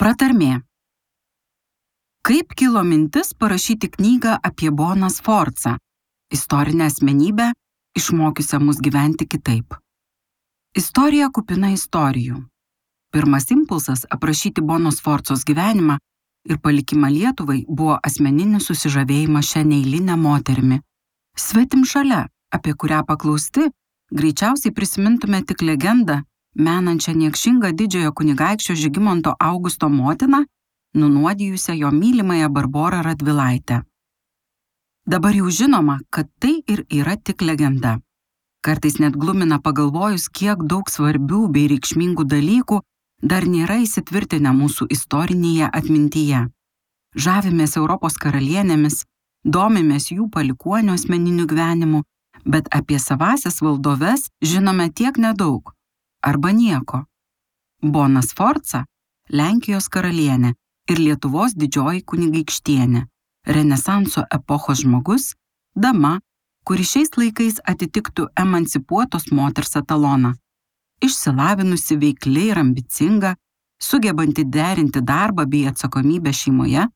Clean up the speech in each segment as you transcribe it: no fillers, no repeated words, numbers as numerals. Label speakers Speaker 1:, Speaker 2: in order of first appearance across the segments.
Speaker 1: Pratarmė. Kaip kilo mintis parašyti knygą apie Boną Sforcą, istorinę asmenybę, išmokiusią mus gyventi kitaip? Istorija kupina istorijų. Pirmas impulsas aprašyti Bono Sforcos gyvenimą ir palikimą Lietuvai buvo asmeninis susižavėjimas šią neeilinę moterimi. Svetimšalia, apie kurią paklausti, greičiausiai prisimintume tik legendą, menančią niekšingą didžiojo kunigaikščio Žygimanto Augusto motiną, nunuodijusią jo mylimąją Barborą Radvilaitę. Dabar jau žinoma, kad tai ir yra tik legenda. Kartais net glumina pagalvojus, kiek daug svarbių bei reikšmingų dalykų dar nėra įsitvirtinę mūsų istorinėje atmintyje. Žavimės Europos karalienėmis, domimės jų palikuonių asmeniniu gyvenimu, bet apie savąsias valdoves žinome tiek nedaug, arba nieko. Bona Sforca – Lenkijos karalienė ir Lietuvos didžioji kunigaikštienė, Renesanso epochos žmogus, dama, kuri šiais laikais atitiktų emancipuotos moters etaloną. Išsilavinusi, veikli ir ambicinga, sugebanti derinti darbą bei atsakomybę šeimoje,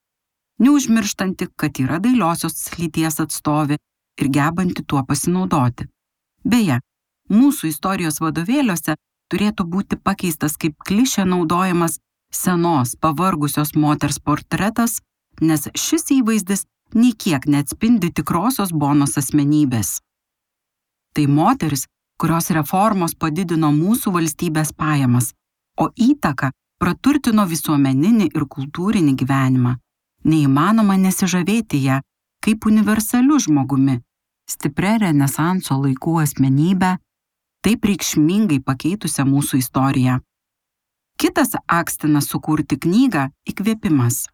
Speaker 1: neužmirštanti, kad yra dailiosios lyties atstovė ir gebanti tuo pasinaudoti. Beje, mūsų istorijos vadovėliuose turėtų būti pakeistas kaip klišė naudojamas senos, pavargusios moters portretas, nes šis įvaizdis nei kiek neatspindi tikrosios Bonos asmenybės. Tai moteris, kurios reformos padidino mūsų valstybės pajamas, o įtaka praturtino visuomeninį ir kultūrinį gyvenimą. Neįmanoma nesižavėti ją kaip universaliu žmogumi, stipria Renesanso laikų asmenybę, taip reikšmingai pakeitusią mūsų istoriją. Kitas akstinas sukurti knygą – įkvėpimas.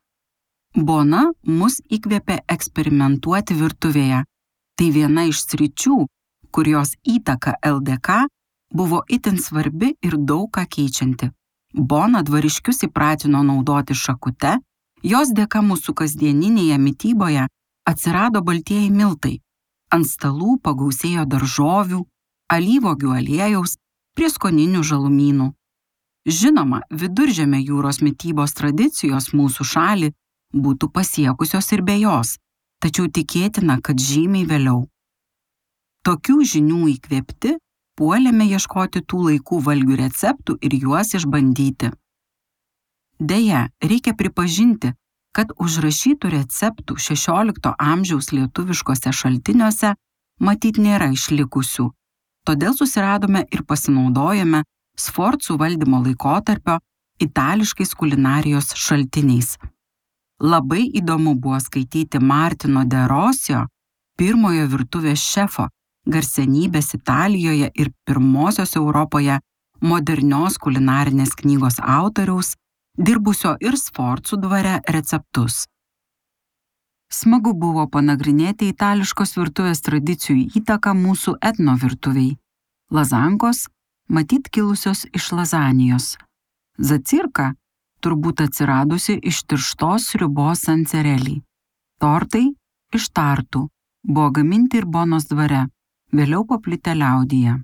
Speaker 1: Bona mus įkvėpė eksperimentuoti virtuvėje. Tai viena iš sričių, kur jos įtaka LDK buvo itin svarbi ir daug ką keičianti. Bona dvariškius įpratino naudoti šakute, jos dėka mūsų kasdieninėje mityboje atsirado baltieji miltai. Ant stalų pagausėjo daržovių, alyvuogių aliejaus, prieskoninių žalumynų. Žinoma, Viduržemio jūros mitybos tradicijos mūsų šalį būtų pasiekusios ir be jos, tačiau tikėtina, kad žymiai vėliau. Tokių žinių įkvėpti, puolėme ieškoti tų laikų valgių receptų ir juos išbandyti. Deja, reikia pripažinti, kad užrašytų receptų 16 amžiaus lietuviškose šaltiniuose matyt nėra išlikusių, todėl susiradome ir pasinaudojame Sforcų valdymo laikotarpio itališkais kulinarijos šaltiniais. Labai įdomu buvo skaityti Martino de Rosio, pirmojo virtuvės šefo, garsenybės Italijoje ir pirmosios Europoje modernios kulinarinės knygos autoriaus, dirbusio ir Sforcų dvare receptus. Smagu buvo panagrinėti itališkos virtuvės tradicijų įtaką mūsų etno virtuviai. Lazankos, matyt kilusios iš Lazanijos. Zacirka, turbūt atsiradusi iš tirštos sriubos sancerelį. Tortai iš tartų, buvo gaminti ir Bonos dvare, vėliau paplitę liaudyje.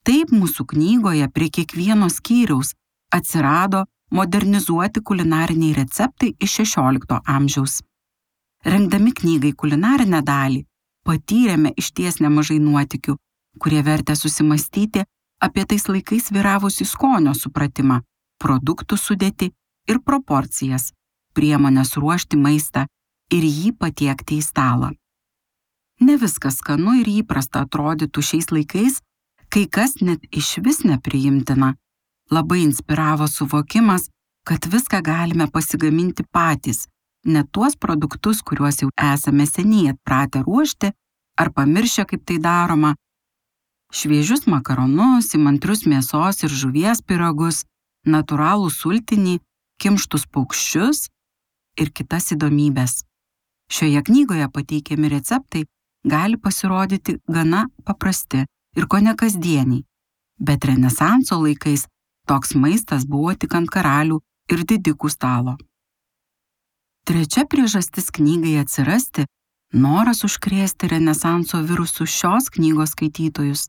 Speaker 1: Taip mūsų knygoje prie kiekvieno skyriaus atsirado modernizuoti kulinariniai receptai iš 16 amžiaus. Rengdami knygai kulinarinę dalį, patyrėme išties nemažai nuotykių, kurie vertė susimastyti apie tais laikais vyravusį skonio supratimą, produktų sudėtį ir proporcijas, priemonės ruošti maistą ir jį patiekti į stalą. Ne viskas skanu ir įprasta atrodytų šiais laikais, kai kas net išvis nepriimtina. Labai inspiravo suvokimas, kad viską galime pasigaminti patys, ne tuos produktus, kuriuos jau esame seniai atpratę ruošti ar pamiršę, kaip tai daroma. Šviežius makaronus, įmantrius mėsos ir žuvies pyragus, natūralų sultinį, kimštus paukščius ir kitas įdomybės. Šioje knygoje pateikiami receptai gali pasirodyti gana paprasti ir kone kasdieniai, bet Renesanso laikais toks maistas buvo tik ant karalių ir didikų stalo. Trečia priežastis knygai atsirasti – noras užkrėsti Renesanso virusu šios knygos skaitytojus.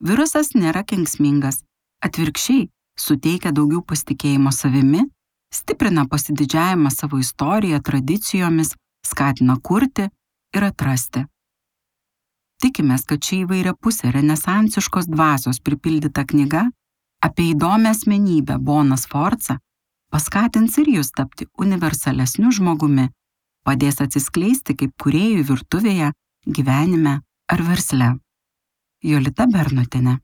Speaker 1: Virusas nėra kenksmingas, atvirkščiai suteikia daugiau pasitikėjimo savimi stiprina pasididžiavimą savo istoriją, tradicijomis, skatina kurti ir atrasti. Tikimės, kad ši įvairiapusė renesansiškos dvasios pripildyta knyga apie įdomią asmenybę Boną Sforcą paskatins ir jūs tapti universalesniu žmogumi, padės atsiskleisti kaip kūrėjų virtuvėje, gyvenime ar versle. Jolita Bernotienė.